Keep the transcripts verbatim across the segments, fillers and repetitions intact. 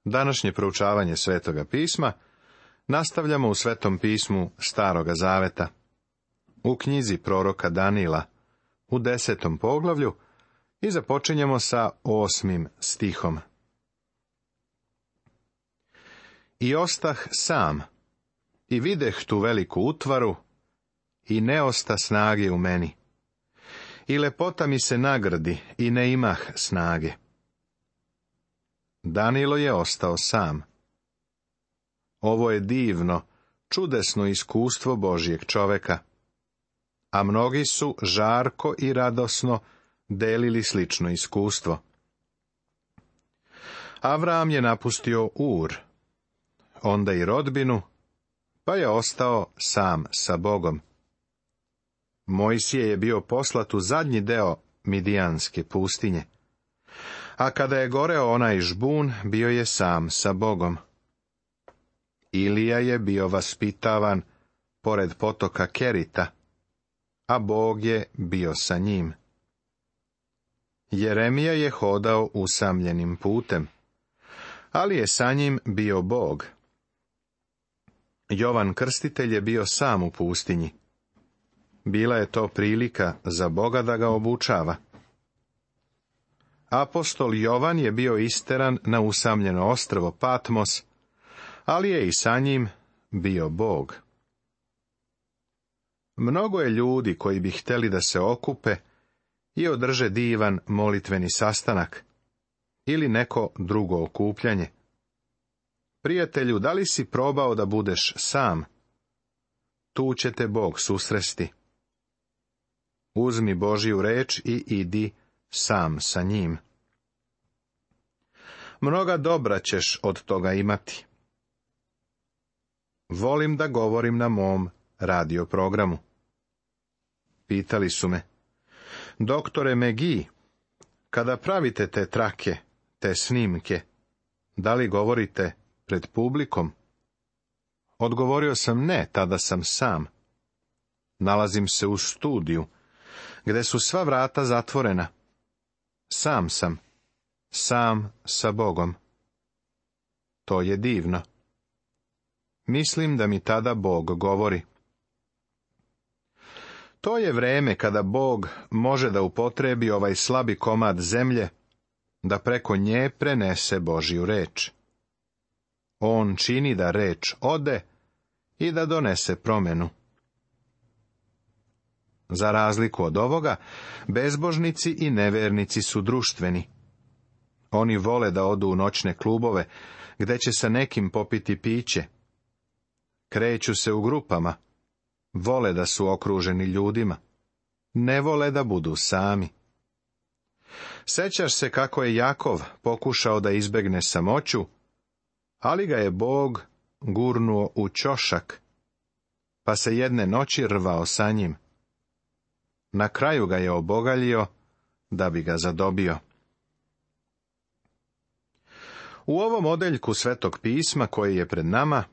Današnje proučavanje Svetoga pisma nastavljamo u Svetom pismu Staroga zaveta, u knjizi proroka Danila, u desetom poglavlju, i započinjemo sa osmim stihom. I ostah sam, i videh tu veliku utvaru, i ne osta snage u meni. I lepota mi se nagradi, i ne imah snage. Danilo je ostao sam. Ovo je divno, čudesno iskustvo Božjeg čoveka, a mnogi su žarko i radosno delili slično iskustvo. Avram je napustio Ur, onda i rodbinu, pa je ostao sam sa Bogom. Mojsije je bio poslat u zadnji deo Midijanske pustinje, a kada je goreo onaj žbun, bio je sam sa Bogom. Ilija je bio vaspitavan pored potoka Kerita, a Bog je bio sa njim. Jeremija je hodao usamljenim putem, ali je sa njim bio Bog. Jovan Krstitelj je bio sam u pustinji. Bila je to prilika za Boga da ga obučava. Apostol Jovan je bio isteran na usamljeno ostrvo Patmos, ali je i sa njim bio Bog. Mnogo je ljudi koji bi htjeli da se okupe i održe divan molitveni sastanak ili neko drugo okupljanje. Prijatelju, da li si probao da budeš sam? Tu će te Bog susresti. Uzmi Božju reč i idi sam sa njim. Mnoga dobra ćeš od toga imati. Volim da govorim na mom radio programu. Pitali su me: doktore Megi, kada pravite te trake, te snimke, da li govorite pred publikom? Odgovorio sam: ne, tada sam sam. Nalazim se u studiju, gde su sva vrata zatvorena. Sam sam, sam sa Bogom. To je divno. Mislim da mi tada Bog govori. To je vreme kada Bog može da upotrebi ovaj slabi komad zemlje, da preko nje prenese Božju reč. On čini da reč ode i da donese promenu. Za razliku od ovoga, bezbožnici i nevernici su društveni. Oni vole da odu u noćne klubove, gde će sa nekim popiti piće. Kreću se u grupama, vole da su okruženi ljudima, ne vole da budu sami. Sećaš se kako je Jakov pokušao da izbegne samoću, ali ga je Bog gurnuo u ćošak, pa se jedne noći rvao sa njim. Na kraju ga je obogaljio da bi ga zadobio. U ovom odeljku Svetog pisma koji je pred nama,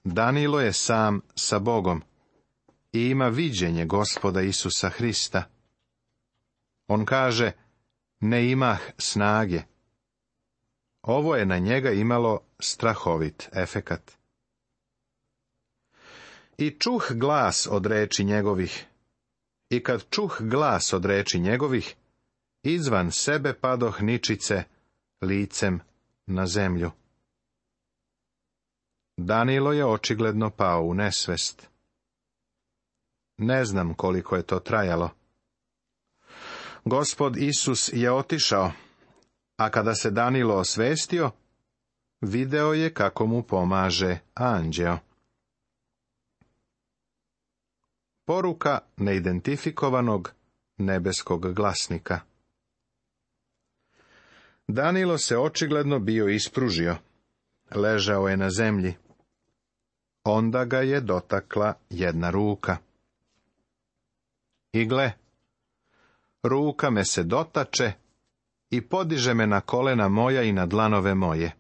Danilo je sam sa Bogom i ima viđenje Gospoda Isusa Hrista. On kaže: ne imah snage. Ovo je na njega imalo strahovit efekat. I čuh glas od reči njegovih, i kad čuh glas od reči njegovih, izvan sebe padoh ničice licem na zemlju. Danilo je očigledno pao u nesvest. Ne znam koliko je to trajalo. Gospod Isus je otišao, a kada se Danilo osvestio, video je kako mu pomaže anđeo. Poruka neidentifikovanog nebeskog glasnika. Danilo se očigledno bio ispružio. Ležao je na zemlji. Onda ga je dotakla jedna ruka. I gle, ruka me se dotače i podiže me na kolena moja i na dlanove moje.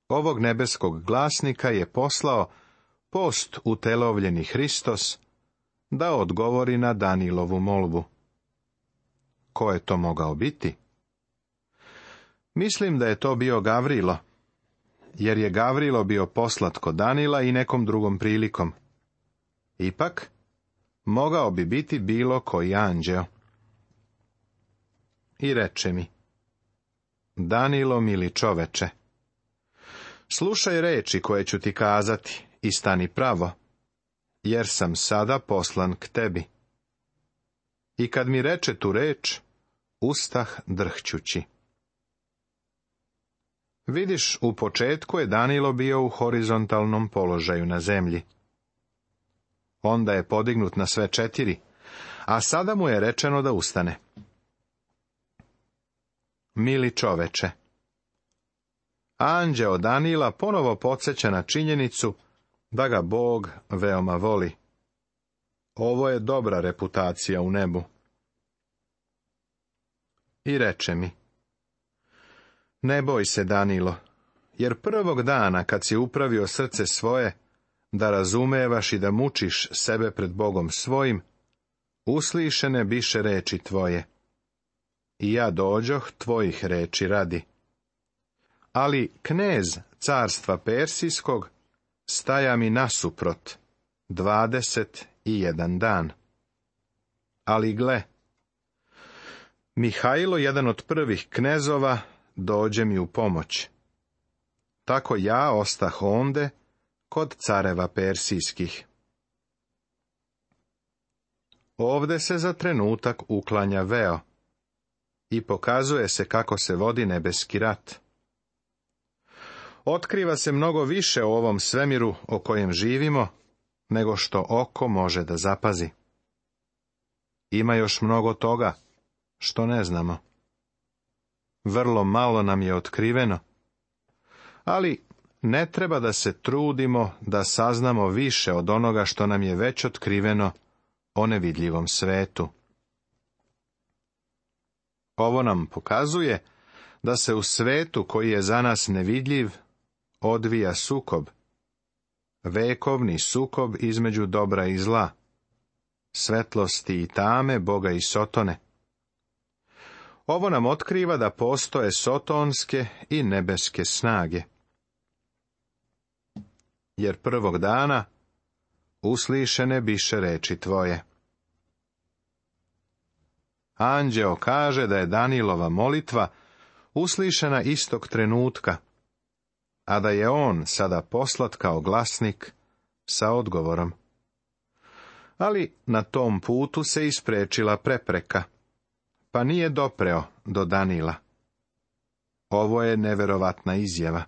Ovog nebeskog glasnika je poslao post utelovljeni Hristos da odgovori na Danilovu molbu. Ko je to mogao biti? Mislim da je to bio Gavrilo, jer je Gavrilo bio poslat kod Danila i nekom drugom prilikom. Ipak, mogao bi biti bilo koji anđeo. I reče mi: Danilo, mili čoveče, slušaj reči koje ću ti kazati i stani pravo, jer sam sada poslan k tebi. I kad mi reče tu reč, ustah drhćući. Vidiš, u početku je Danilo bio u horizontalnom položaju na zemlji. Onda je podignut na sve četiri, a sada mu je rečeno da ustane. Mili čoveče, anđeo Danila ponovo podsjeća na činjenicu da ga Bog veoma voli. Ovo je dobra reputacija u nebu. I reče mi: Ne boj se, Danilo, jer prvog dana kad si upravio srce svoje, da razumevaš i da mučiš sebe pred Bogom svojim, uslišene biše reči tvoje. I ja dođoh tvojih reči radi. Ali knez carstva Persijskog staja mi nasuprot dvadeset i jedan dan. Ali gle, Mihajlo, jedan od prvih knezova, dođe mi u pomoć. Tako ja ostah onde kod careva persijskih. Ovde se za trenutak uklanja veo i pokazuje se kako se vodi nebeski rat. Otkriva se mnogo više o ovom svemiru o kojem živimo, nego što oko može da zapazi. Ima još mnogo toga što ne znamo. Vrlo malo nam je otkriveno, ali ne treba da se trudimo da saznamo više od onoga što nam je već otkriveno o nevidljivom svetu. Ovo nam pokazuje da se u svetu koji je za nas nevidljiv odvija sukob, vekovni sukob između dobra i zla, svetlosti i tame, Boga i Sotone. Ovo nam otkriva da postoje sotonske i nebeske snage. Jer prvog dana uslišene biše reči tvoje. Anđeo kaže da je Danilova molitva uslišena istog trenutka, a da je on sada poslat kao glasnik sa odgovorom. Ali na tom putu se isprečila prepreka, pa nije dopreo do Danila. Ovo je neverovatna izjava.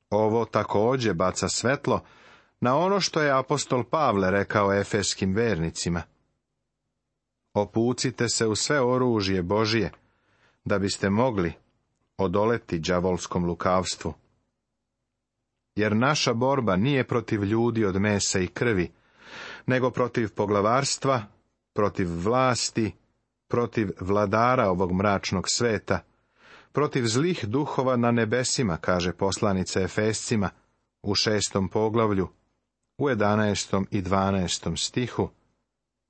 Ovo također baca svetlo na ono što je apostol Pavle rekao efeskim vernicima. Opucite se u sve oružje Božije, da biste mogli odoleti đavolskom lukavstvu. Jer naša borba nije protiv ljudi od mesa i krvi, nego protiv poglavarstva, protiv vlasti, protiv vladara ovog mračnog sveta, protiv zlih duhova na nebesima, kaže poslanica Efescima u šestom poglavlju, u jedanaestom i dvanaestom stihu,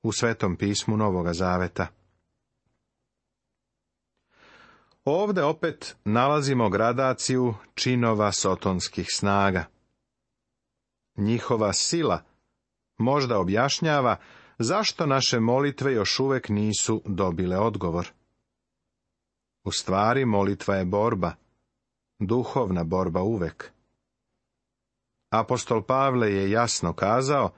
u Svetom pismu Novoga Zaveta. Ovde opet nalazimo gradaciju činova sotonskih snaga. Njihova sila možda objašnjava zašto naše molitve još uvek nisu dobile odgovor. U stvari, molitva je borba, duhovna borba uvek. Apostol Pavle je jasno kazao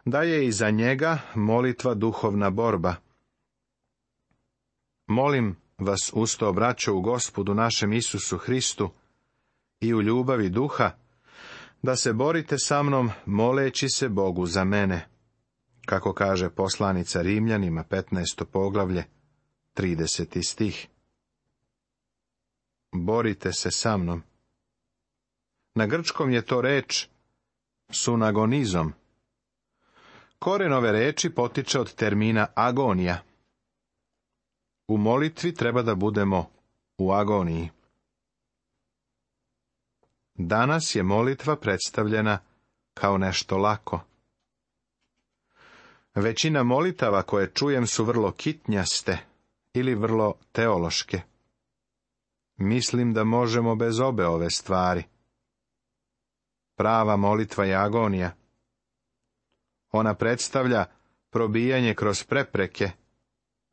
da je i za njega molitva duhovna borba. Molim vas usto, braćo, u Gospodu našem Isusu Hristu i u ljubavi duha, da se borite sa mnom moleći se Bogu za mene, kako kaže poslanica Rimljanima, petnaesto poglavlje, trideseti stih. Borite se sa mnom. Na grčkom je to reč sunagonizom. Koren ove reči potiče od termina agonija. U molitvi treba da budemo u agoniji. Danas je molitva predstavljena kao nešto lako. Većina molitava koje čujem su vrlo kitnjaste ili vrlo teološke. mislim da možemo bez obe ove stvari. Prava molitva je agonija. Ona predstavlja probijanje kroz prepreke,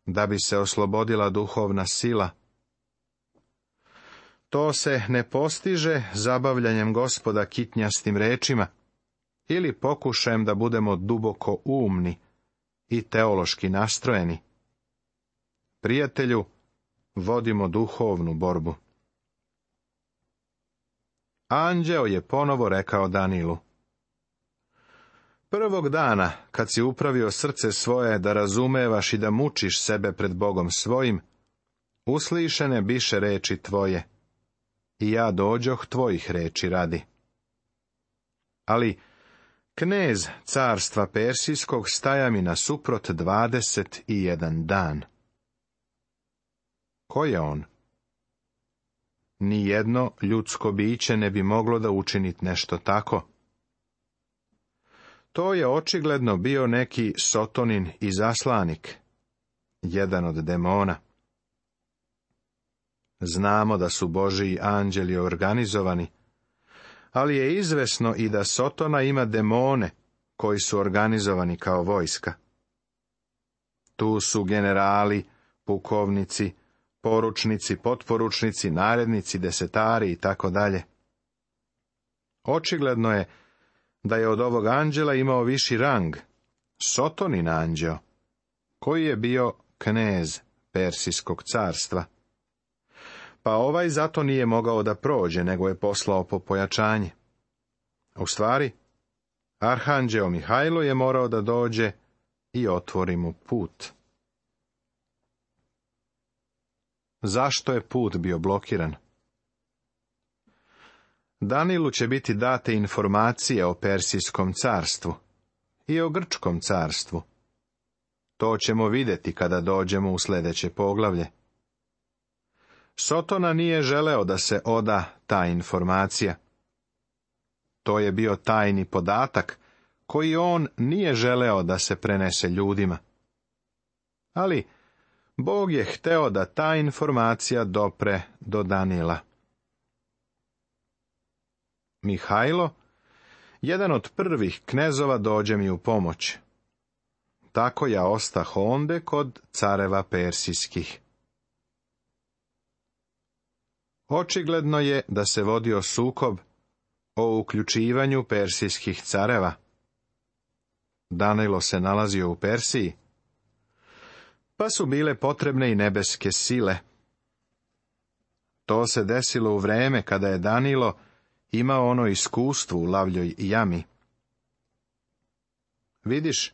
da bi se oslobodila duhovna sila. To se ne postiže zabavljanjem Gospoda kitnjastim rečima ili pokušajem da budemo duboko umni i teološki nastrojeni. Prijatelju, vodimo duhovnu borbu. Anđeo je ponovo rekao Danilu: prvog dana, kad si upravio srce svoje da razumevaš i da mučiš sebe pred Bogom svojim, uslišene biše reči tvoje, i ja dođoh tvojih reči radi. Ali knez carstva Persijskog staja mi nasuprot dvadeset i jedan dan. Ko je on? Nijedno ljudsko biće ne bi moglo da učinit nešto tako. To je očigledno bio neki sotonin izaslanik, jedan od demona. Znamo da su Božiji anđeli organizovani, ali je izvesno i da Sotona ima demone koji su organizovani kao vojska. Tu su generali, pukovnici, poručnici, potporučnici, narednici, desetari i tako dalje. Očigledno je da je od ovog anđela imao viši rang, Sotonin anđeo, koji je bio knez Persijskog carstva. Pa ovaj zato nije mogao da prođe, nego je poslao po pojačanje. U stvari, arhanđeo Mihajlo je morao da dođe i otvori mu put. Zašto je put bio blokiran? Danilu će biti date informacije o Persijskom carstvu i o Grčkom carstvu. To ćemo vidjeti kada dođemo u sljedeće poglavlje. Sotona nije želeo da se oda ta informacija. To je bio tajni podatak koji on nije želeo da se prenese ljudima. Ali Bog je hteo da ta informacija dopre do Danila. Mihajlo, jedan od prvih knezova, dođe mi u pomoć. Tako ja ostah onde kod careva persijskih. Očigledno je da se vodio sukob o uključivanju persijskih careva. Danilo se nalazio u Persiji, pa su bile potrebne i nebeske sile. To se desilo u vreme kada je Danilo imao ono iskustvo u lavljoj jami. Vidiš,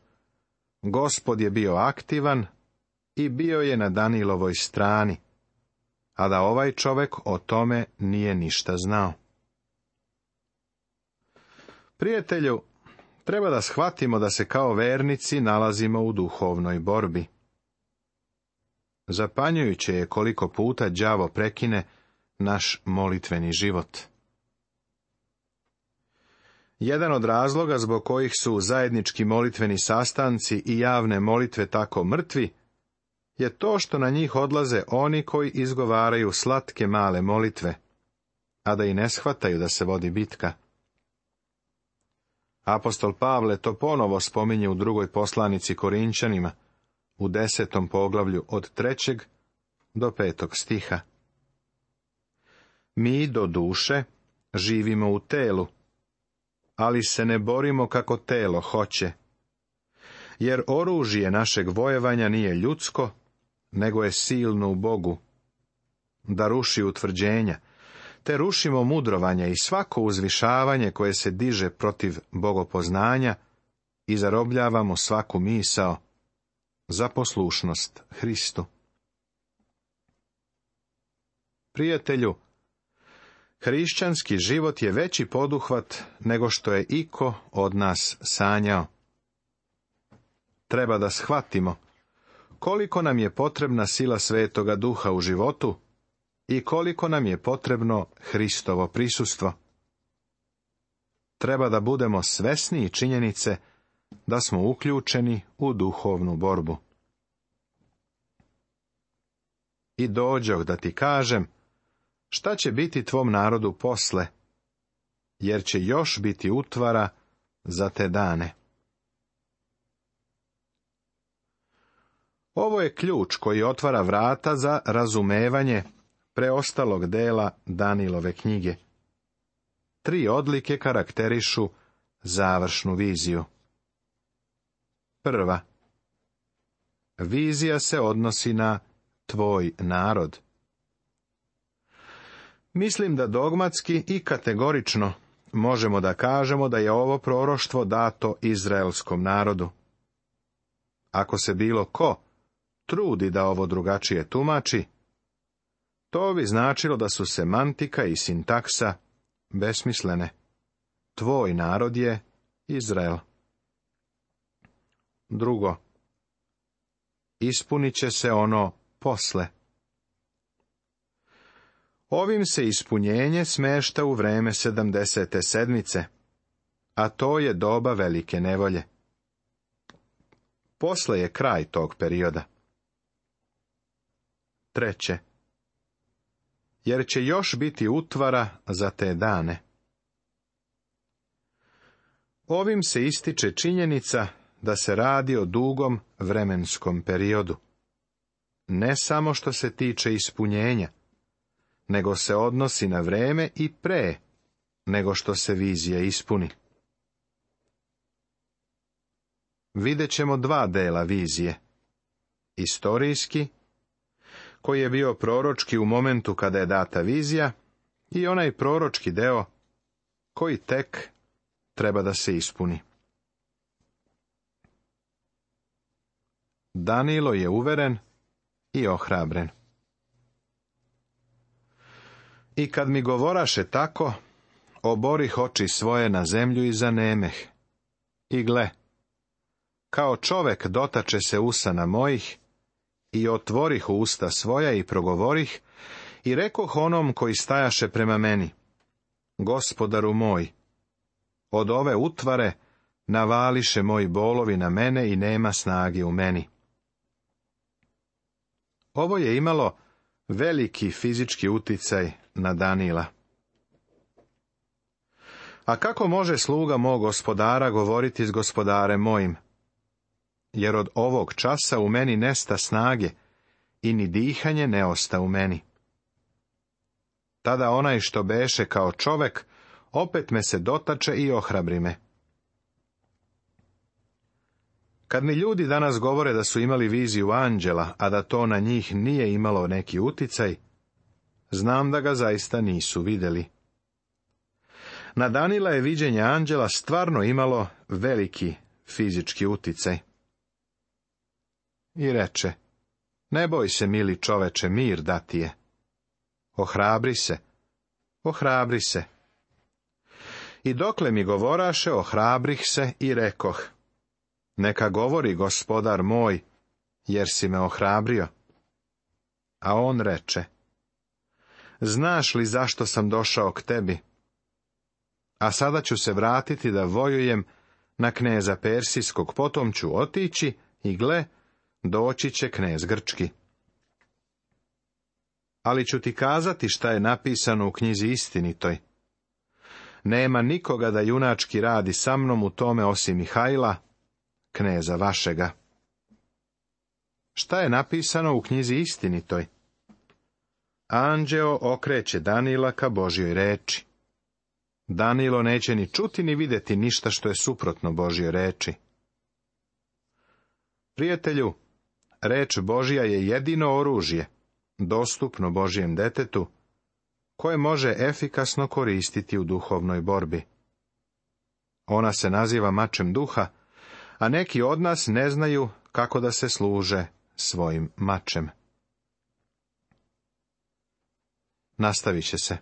Gospod je bio aktivan i bio je na Danilovoj strani, a da ovaj čovek o tome nije ništa znao. Prijatelju, treba da shvatimo da se kao vernici nalazimo u duhovnoj borbi. Zapanjujuće je koliko puta đavo prekine naš molitveni život. Jedan od razloga zbog kojih su zajednički molitveni sastanci i javne molitve tako mrtvi, je to što na njih odlaze oni koji izgovaraju slatke male molitve, a da i ne shvataju da se vodi bitka. Apostol Pavle to ponovo spominje u drugoj poslanici Korinčanima, u desetom poglavlju od trećeg do petog stiha. Mi do duše živimo u telu, ali se ne borimo kako telo hoće, jer oružje našeg vojevanja nije ljudsko, nego je silno u Bogu, da ruši utvrđenja, te rušimo mudrovanje i svako uzvišavanje koje se diže protiv bogopoznanja i zarobljavamo svaku misao za poslušnost Hristu. Prijatelju, hrišćanski život je veći poduhvat nego što je iko od nas sanjao. Treba da shvatimo koliko nam je potrebna sila Svetoga Duha u životu i koliko nam je potrebno Hristovo prisustvo. Treba da budemo svesni činjenice da smo uključeni u duhovnu borbu. I dođoh da ti kažem Šta će biti tvom narodu posle? Jer će još biti utvara za te dane. Ovo je ključ koji otvara vrata za razumevanje preostalog dela Danilove knjige. Tri odlike karakterišu završnu viziju. Prva. Vizija se odnosi na tvoj narod. Mislim da dogmatski i kategorično možemo da kažemo da je ovo proroštvo dato izraelskom narodu. Ako se bilo ko trudi da ovo drugačije tumači, to bi značilo da su semantika i sintaksa besmislene. Tvoj narod je Izrael. Drugo. Ispunit će se ono posle. Ovim se ispunjenje smešta u vreme sedamdesete sedmice, a to je doba velike nevolje. Posle je kraj tog perioda. Treće. Jer će još biti utvara za te dane. Ovim se ističe činjenica da se radi o dugom vremenskom periodu. Ne samo što se tiče ispunjenja, nego se odnosi na vreme i pre nego što se vizija ispuni. Vidjet ćemo dva dela vizije. Istorijski, koji je bio proročki u momentu kada je data vizija, i onaj proročki deo koji tek treba da se ispuni. Danilo je uveren i ohrabren. I kad mi govoraše tako, oborih oči svoje na zemlju i zanemeh. I gle, kao čovek dotače se usana mojih, i otvorih usta svoja i progovorih, i rekoh onom koji stajaše prema meni: Gospodaru moj, od ove utvare navališe moji bolovi na mene i nema snage u meni. Ovo je imalo veliki fizički uticaj na Danila. A kako može sluga mog gospodara govoriti s gospodarem mojim? Jer od ovog časa u meni nesta snage i ni dihanje ne osta u meni. Tada onaj što beše kao čovek, opet me se dotače i ohrabri me. Kad mi ljudi danas govore da su imali viziju anđela, a da to na njih nije imalo neki uticaj, znam da ga zaista nisu vidjeli. Na Danila je viđenje anđela stvarno imalo veliki fizički uticaj. I reče: Ne boj se, mili čoveče, mir da ti je. Ohrabri se, ohrabri se. I dokle mi govoraše, ohrabrih se i rekoh: Neka govori gospodar moj, jer si me ohrabrio. A on reče: Znaš li zašto sam došao k tebi? A sada ću se vratiti da vojujem na kneza Persijskog, potom ću otići i gle, doći će knez Grčki. Ali ću ti kazati šta je napisano u knjizi istinitoj. Nema nikoga da junački radi sa mnom u tome osim Mihajla, kneza vašega. Šta je napisano u knjizi istinitoj? Anđeo okreće Danila ka Božjoj reči. Danilo neće ni čuti ni vidjeti ništa što je suprotno Božjoj reči. Prijatelju, reč Božja je jedino oružje, dostupno Božjem detetu, koje može efikasno koristiti u duhovnoj borbi. Ona se naziva mačem duha, a neki od nas ne znaju kako da se služe svojim mačem. Nastavit će se.